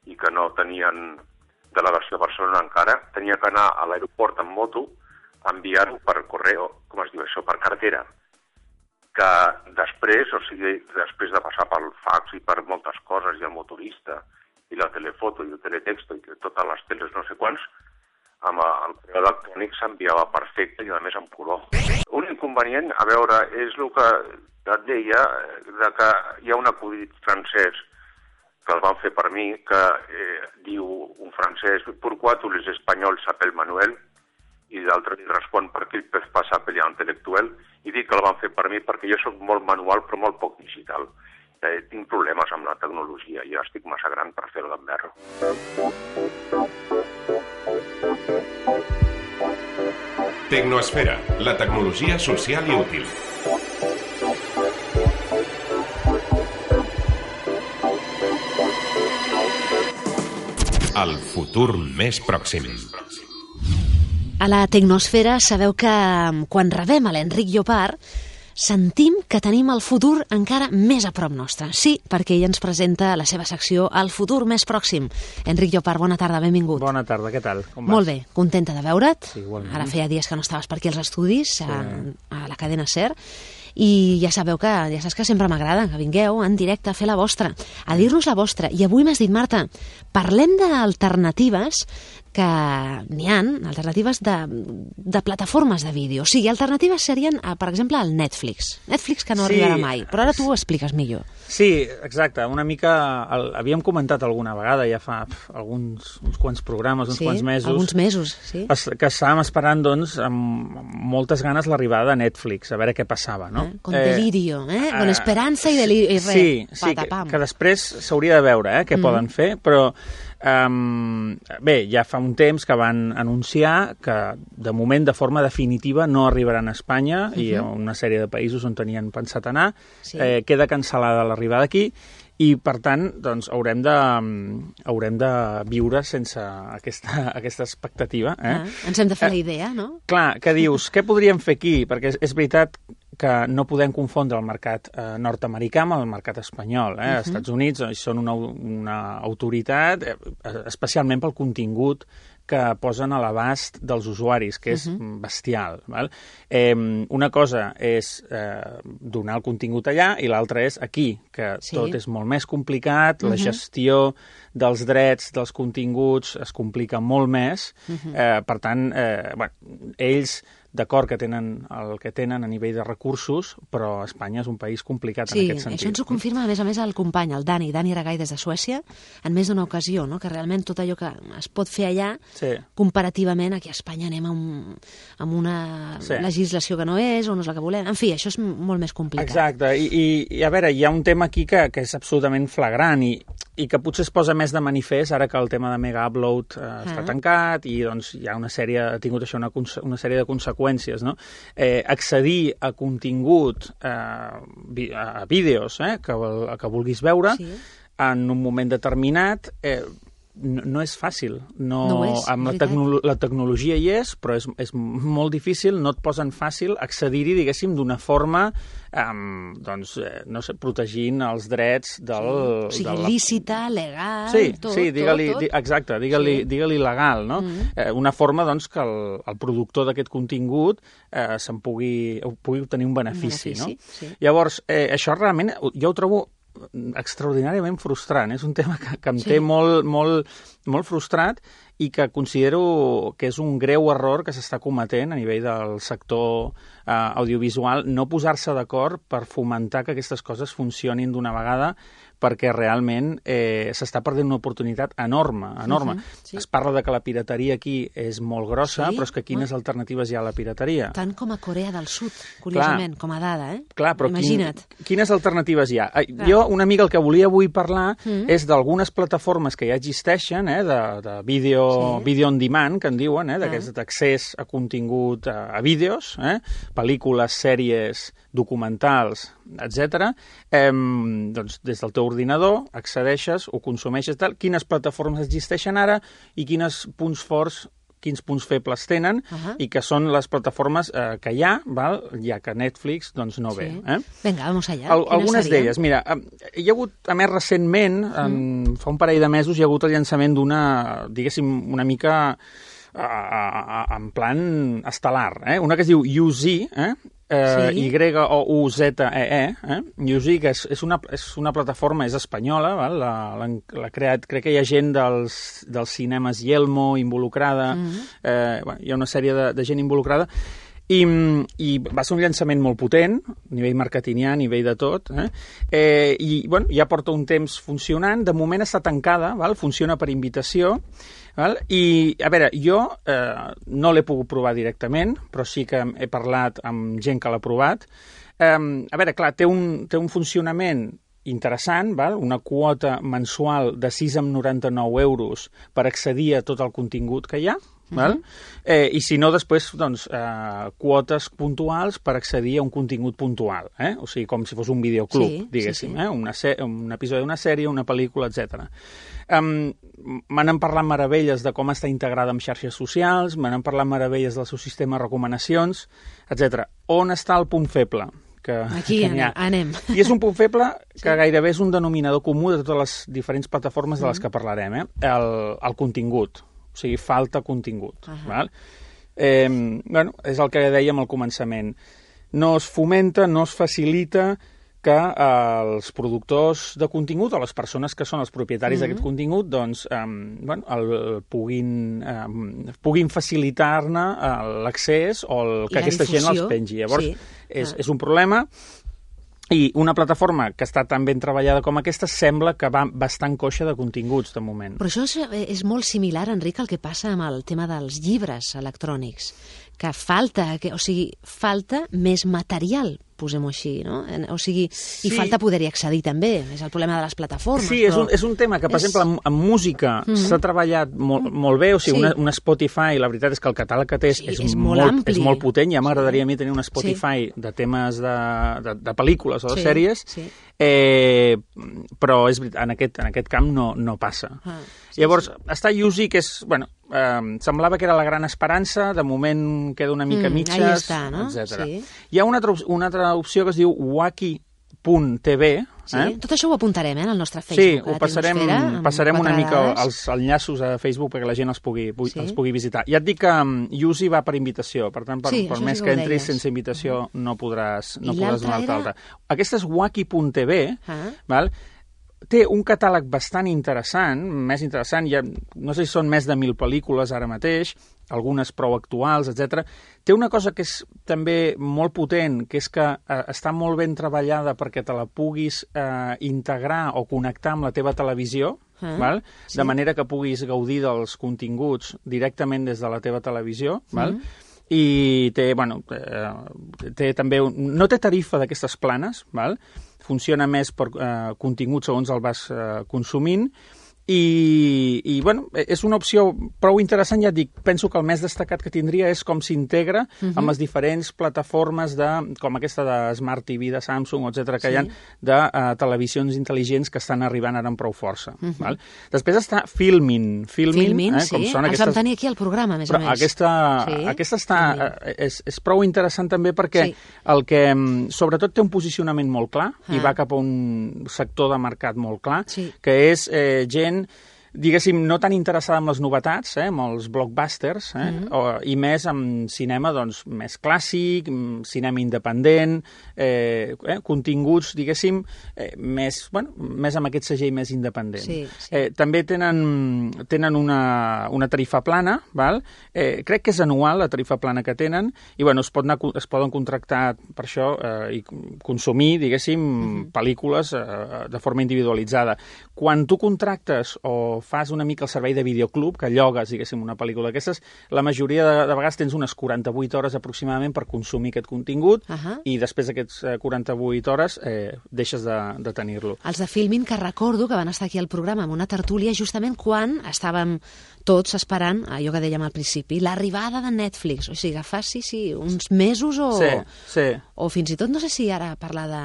i que no tenien delegació a Barcelona encara, tenia que anar a l'aeroport en moto a enviar-ho per correu, com es diu això, per cartera. Que després, després de passar pel fax i per moltes coses, i el motorista, i la telefoto, i el teletexto, i totes les teles no sé quants, amb el correu electrònic s'enviava perfecte i a més en color. Un inconvenient, a veure, és el que et deia, que hi ha un acudit francès que el van fer per mi, que diu un francès, «Pourquoi tous les Espagnols s'appellent Manuel?» i l'altre li respon «Per què el pez passa pelear intel·lectual?» i dic que el van fer per mi perquè jo soc molt manual però molt poc digital. Tinc problemes amb la tecnologia i ja estic massa gran per fer-ho d'enverro. Tecnoesfera, la tecnologia social i útil. El futur més pròxim. A la Tecnosfera sabeu que quan rebem a l'Enric Llopart sentim que tenim el futur encara més a prop nostre. Sí, perquè ell ens presenta la seva secció El futur més pròxim. Enric Llopart, bona tarda, benvingut. Bona tarda, què tal? Com vas? Molt bé, contenta de veure't. Sí, igualment. Ara feia dies que no estaves per aquí als estudis, sí. a la cadena SER, i ja sabeu que, ja saps que sempre m'agrada que vingueu en directe a fer la vostra, a dir-nos la vostra. I avui m'has dit, Marta, parlem d'alternatives que n'hi ha, alternatives de plataformes de vídeo. O sigui, alternatives serien, per exemple, el Netflix. Netflix que no arribarà mai, però ara tu ho expliques millor. Sí, exacte. Una mica... havíem comentat alguna vegada, ja fa uns quants programes, uns quants mesos. Sí, alguns mesos, sí. Que estàvem esperant, doncs, amb moltes ganes l'arribada de Netflix, a veure què passava, no? Con delirio, con esperança i delirio. Sí, que després s'hauria de veure què poden fer, però... bé, ja fa un temps que van anunciar que de moment de forma definitiva no arribaran a Espanya i a una sèrie de països on tenien pensat anar. Sí. Queda cancel·lada l'arribada aquí i, per tant, doncs, haurem de viure sense aquesta expectativa. Ens hem de fer la idea, no? Clar, que dius, què podríem fer aquí? Perquè és veritat que no podem confondre el mercat nord-americà amb el mercat espanyol. Els Estats Units són una autoritat, especialment pel contingut que posen a l'abast dels usuaris, que és bestial. Val? Una cosa és donar el contingut allà i l'altra és aquí, que tot és molt més complicat, la gestió dels drets, dels continguts, es complica molt més. Per tant, ells d'acord que tenen el que tenen a nivell de recursos, però Espanya és un país complicat en aquest sentit. Sí, això ens ho confirma, a més, el company, el Dani Ragai des de Suècia, en més d'una ocasió, no? Que realment tot allò que es pot fer allà, comparativament aquí a Espanya anem amb una legislació que no és, o no és la que volem. En fi, això és molt més complicat. Exacte, i a veure, hi ha un tema aquí que és absolutament flagrant i que potser es posa més de manifest ara que el tema de Mega Upload està tancat i doncs hi ha ha tingut això una sèrie de conseqüències, no? Accedir a contingut, a vídeos que vulguis veure en un moment determinat no és fàcil. La tecnologia hi és, però és molt difícil, no et posen fàcil accedir-hi, diguéssim, d'una forma protegint els drets del... O sigui, lícita, legal... Digue-li legal, no? Una forma, doncs, que el productor d'aquest contingut pugui obtenir un benefici, no? Llavors, això realment jo ho trobo extraordinàriament frustrant. És un tema que em té molt frustrat i que considero que és un greu error que s'està cometent a nivell del sector audiovisual, no posar-se d'acord per fomentar que aquestes coses funcionin d'una vegada, perquè realment s'està perdent una oportunitat enorme. Es parla de que la pirateria aquí és molt grossa, però és que quines alternatives hi ha a la pirateria? Tant com a Corea del Sud, curiosament, com a dada, Clar, però imagina't. Quines alternatives hi ha? Jo, una mica el que volia avui parlar és d'algunes plataformes que ja existeixen, de video on demand, que en diuen, d'aquest accés a contingut, a vídeos, pel·lícules, sèries, documentals, etc. Doncs des del teu ordinador accedeixes, ho consumeixes, tal, quines plataformes existeixen ara i quins punts febles tenen i que són les plataformes que hi ha, val? Ja que Netflix doncs no ve. Vinga, vamos allà. Algunes d'elles. Mira, hi ha hagut, a més recentment, fa un parell de mesos, hi ha hagut el llançament d'una, diguéssim, una mica en plan estel·lar. Una que es diu UZ, Y-O-U-Z-E-E, UZ, que és una plataforma, és espanyola, val? L'ha creat, crec que hi ha gent dels cinemes Yelmo involucrada, hi ha una sèrie de gent involucrada, i va ser un llançament molt potent, a nivell marketingià, a nivell de tot, i ja porta un temps funcionant, de moment està tancada, val? Funciona per invitació, val? I, a veure, jo no l'he pogut provar directament, però sí que he parlat amb gent que l'ha provat. A veure, clar, té un funcionament interessant, val? Una quota mensual de 6,99 euros per accedir a tot el contingut que hi ha, val? I si no, després, doncs, quotes puntuals per accedir a un contingut puntual, o sigui, com si fos un videoclub, diguéssim, un episodi d'una sèrie, una pel·lícula, etc. M'han parlat meravelles de com està integrada amb xarxes socials, m'han parlat meravelles del seu sistema de recomanacions, etc. On està el punt feble? Aquí anem. I és un punt feble que gairebé és un denominador comú de totes les diferents plataformes de les que parlarem, el contingut. O sigui, falta contingut. Val? És el que dèiem al començament. No es fomenta, no es facilita que els productors de contingut o les persones que són els propietaris d'aquest contingut doncs, puguin facilitar-ne l'accés o que aquesta gent els pengi. Llavors, és un problema. I una plataforma que està tan ben treballada com aquesta sembla que va bastant coixa de continguts, de moment. Però això és molt similar, Enric, al que passa amb el tema dels llibres electrònics, que falta més material, posem-ho així, no? O sigui, i falta poder-hi accedir també, és el problema de les plataformes. Sí, és un tema que, per exemple, en música s'ha treballat molt bé, o sigui, una Spotify, la veritat és que el catàleg que té és molt potent, ja m'agradaria a mi tenir una Spotify de temes de pel·lícules o de sèries, però és veritat, en aquest camp no passa. Llavors, està Yuzi, que és, semblava que era la gran esperança, de moment queda una mica mitges, etc. Hi ha una altra opció que es diu Wacky.tv. Tot això ho apuntarem en el nostre Facebook. Sí, ho passarem una mica els enllaços a Facebook perquè la gent els pugui visitar. Ja et dic que Yuzi va per invitació, per tant, per més que entris sense invitació no podràs donar-te alta. Aquesta és Wacky.tv, val? Té un catàleg bastant interessant, més interessant, no sé si són més de 1.000 pel·lícules ara mateix, algunes prou actuals, etc. Té una cosa que és també molt potent, que és que està molt ben treballada perquè te la puguis integrar o connectar amb la teva televisió, val? De manera que puguis gaudir dels continguts directament des de la teva televisió, val? I té també... No té tarifa d'aquestes planes, val? Funciona més per contingut segons el vas consumint i és una opció prou interessant, ja et dic, penso que el més destacat que tindria és com s'integra amb les diferents plataformes com aquesta de Smart TV, de Samsung, etc., que hi ha de televisions intel·ligents que estan arribant ara amb prou força. Val? Després està Filmin, com són aquestes... Els vam tenir aquí al programa, més o menys. Aquesta és prou interessant també perquè el que sobretot té un posicionament molt clar i va cap a un sector de mercat molt clar, que és gent diguéssim, no tan interessada en les novetats, amb els blockbusters, i més amb cinema doncs, més clàssic, cinema independent, continguts, diguéssim, més amb aquest segell més independent. També tenen una tarifa plana, val? Crec que és anual la tarifa plana que tenen, i es poden contractar per això i consumir, diguéssim, pel·lícules de forma individualitzada. Quan tu contractes o fas una mica el servei de videoclub, que llogues, diguéssim, una pel·lícula d'aquestes, la majoria de vegades tens unes 48 hores aproximadament per consumir aquest contingut i després d'aquests 48 hores deixes de tenir-lo. Els de Filmin, que recordo que van estar aquí al programa amb una tertúlia justament quan estàvem tots esperant, allò que dèiem al principi, l'arribada de Netflix. O sigui, que fa, sí, uns mesos o... Sí. O fins i tot, no sé si ara parlar de...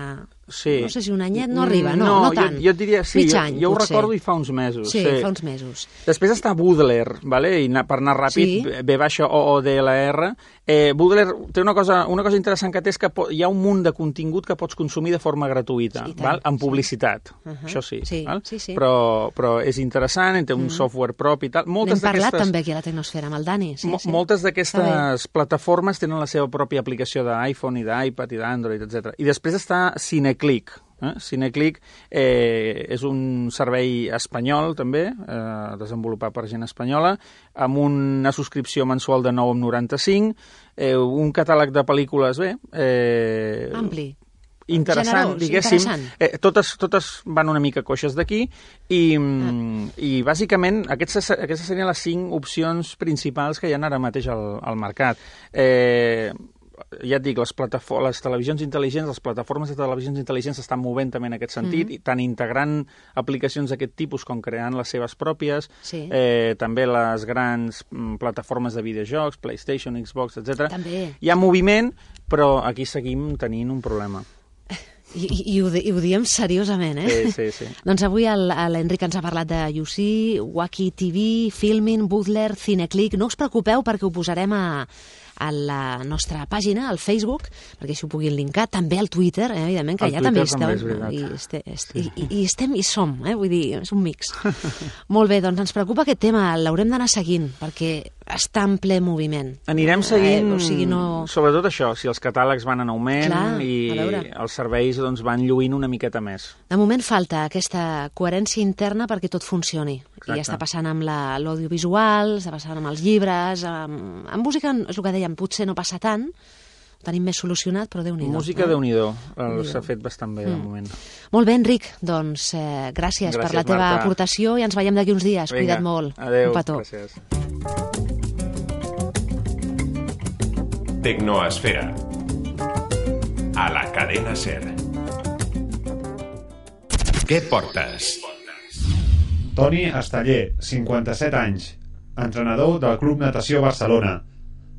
Sí. No sé si un anyet no arriba, no tant. Jo et diria, sí, any, jo ho potser. recordo i fa uns mesos. Sí, fa uns mesos. Després està Boodler, vale? I per anar ràpid, B-OODLR. Boodler té una cosa interessant que té, és que hi ha un munt de contingut que pots consumir de forma gratuïta, val? Amb publicitat. Això sí. Val? Sí. Però és interessant, té un software propi i tal. N'hem parlat també aquí a la Tecnosfera, amb el Dani. Moltes d'aquestes plataformes tenen la seva pròpia aplicació d'iPhone i d'iPad i d'Android, etc. I després està Cineclick. Cineclick és un servei espanyol, també, desenvolupat per gent espanyola, amb una subscripció mensual de 9,95, un catàleg de pel·lícules, ampli. Interessant, diguéssim. Totes van una mica coixes d'aquí i bàsicament aquestes serien les 5 opcions principals que hi ha ara mateix al mercat. Ja et dic, les televisions intel·ligents, les plataformes de televisions intel·ligents s'estan movent també en aquest sentit, tant integrant aplicacions d'aquest tipus com creant les seves pròpies, també les grans plataformes de videojocs, PlayStation, Xbox, etc. Hi ha moviment, però aquí seguim tenint un problema. I ho diem seriosament, Sí. Doncs avui l'Enric ens ha parlat de UC, Wacky TV, Filmin, Boodler, Cineclick. No us preocupeu perquè ho posarem a la nostra pàgina, al Facebook, perquè així ho puguin linkar, també al Twitter, evidentment, que allà també estem. I som, vull dir, és un mix. Molt bé, doncs ens preocupa aquest tema, l'haurem d'anar seguint, perquè està en ple moviment. Anirem seguint, sobretot això, si els catàlegs van en augment i els serveis van lluint una miqueta més. De moment falta aquesta coherència interna perquè tot funcioni. I està passant amb l'audiovisual, està passant amb els llibres, amb música, és el que dèiem, potser no passa tant, ho tenim més solucionat, però Déu-n'hi-do. Música, Déu-n'hi-do, s'ha fet bastant bé de moment. Molt bé, Enric, doncs gràcies per la teva aportació i ens veiem d'aquí uns dies. Cuida't molt. Adéu, un petó. Gràcies. Tecnoesfera. A la cadena SER. Què portes? Toni Esteller, 57 anys, entrenador del Club Natació Barcelona.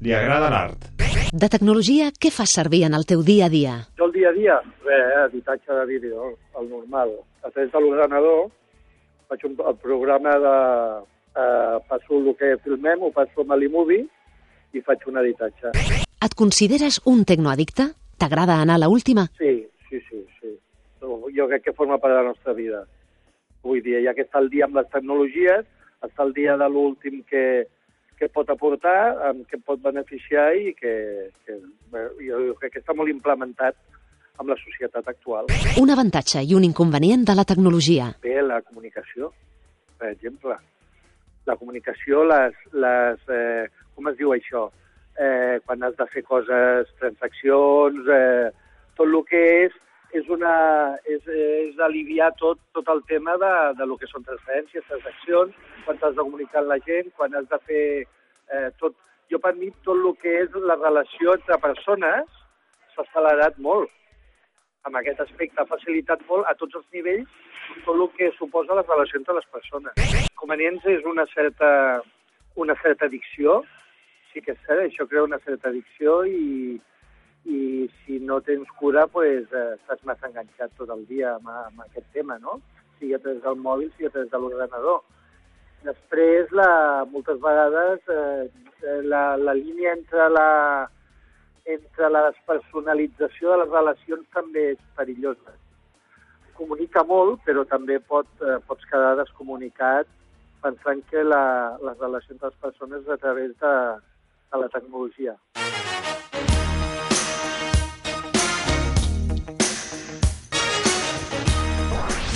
Li agrada l'art. De tecnologia, què fas servir en el teu dia a dia? Jo el dia a dia, editatge de vídeo, el normal. A través de l'ordenador faig el programa de... passo el que filmem, ho passo amb l'iMovie i faig un editatge. Et consideres un tecnoaddicte? T'agrada anar a l'última? Sí. Jo crec que forma part de la nostra vida. Vull dir, ja que està el dia amb les tecnologies, està el dia de l'últim que pot aportar, que pot beneficiar i que jo crec que està molt implementat amb la societat actual. Un avantatge i un inconvenient de la tecnologia. Bé, la comunicació, per exemple. La comunicació, com es diu això? Quan has de fer coses, transaccions, tot el que és aliviar tot el tema de lo que són transferències, transaccions, quan t'has de comunicar amb la gent, quan has de fer tot. Jo, per mi, tot el que és la relació entre persones s'ha accelerat molt. Amb aquest aspecte ha facilitat molt a tots els nivells tot el que suposa la relació entre les persones. Convenients és una certa addicció, sí que és cert, això crea una certa addicció i si no tens cura, estàs massa enganxat tot el dia amb aquest tema, no? Sigui a través del mòbil, sigui a través de l'ordenador. Després, moltes vegades, la línia entre la despersonalització de les relacions també és perillosa. Comunica molt, però també pots quedar descomunicat pensant que les relacions de les persones és a través de la tecnologia.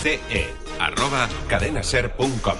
ce@cadenaser.com.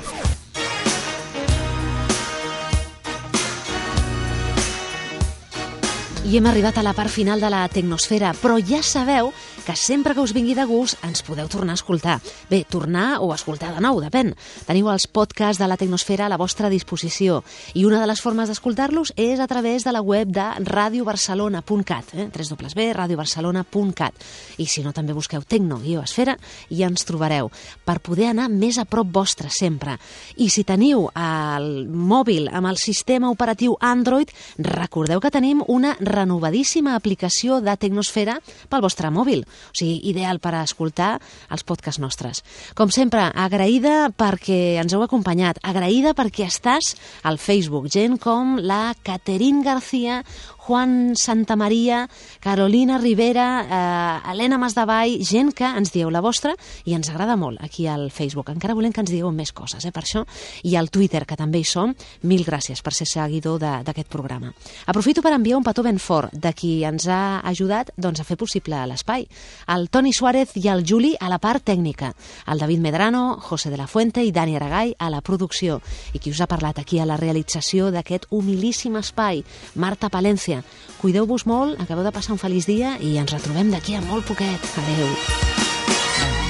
I hem arribat a la part final de la Tecnosfera, però ja sabeu que sempre que us vingui de gust ens podeu tornar a escoltar. Bé, tornar o escoltar de nou, depèn. Teniu els podcasts de la Tecnosfera a la vostra disposició i una de les formes d'escoltar-los és a través de la web de radiobarcelona.cat, www.radiobarcelona.cat. I si no, també busqueu Tecno-Esfera i ens trobareu per poder anar més a prop vostre sempre. I si teniu el mòbil amb el sistema operatiu Android, recordeu que tenim una renovadíssima aplicació de Tecnosfera pel vostre mòbil. O sigui, ideal per a escoltar els podcasts nostres. Com sempre, agraïda perquè ens heu acompanyat, agraïda perquè estàs al Facebook. Gent com la Caterín García, Juan Santamaria, Carolina Rivera, Helena Masdavall, gent que ens dieu la vostra i ens agrada molt aquí al Facebook. Encara volem que ens digueu més coses, per això. I al Twitter, que també hi som. Mil gràcies per ser seguidor d'aquest programa. Aprofito per enviar un petó ben fort de qui ens ha ajudat a fer possible l'espai. El Toni Suárez i el Juli a la part tècnica. El David Medrano, José de la Fuente i Dani Aragall a la producció. I qui us ha parlat aquí a la realització d'aquest humilíssim espai, Marta Palencia. Cuideu-vos molt, acabeu de passar un feliç dia i ens retrobem d'aquí a molt poquet. Adéu.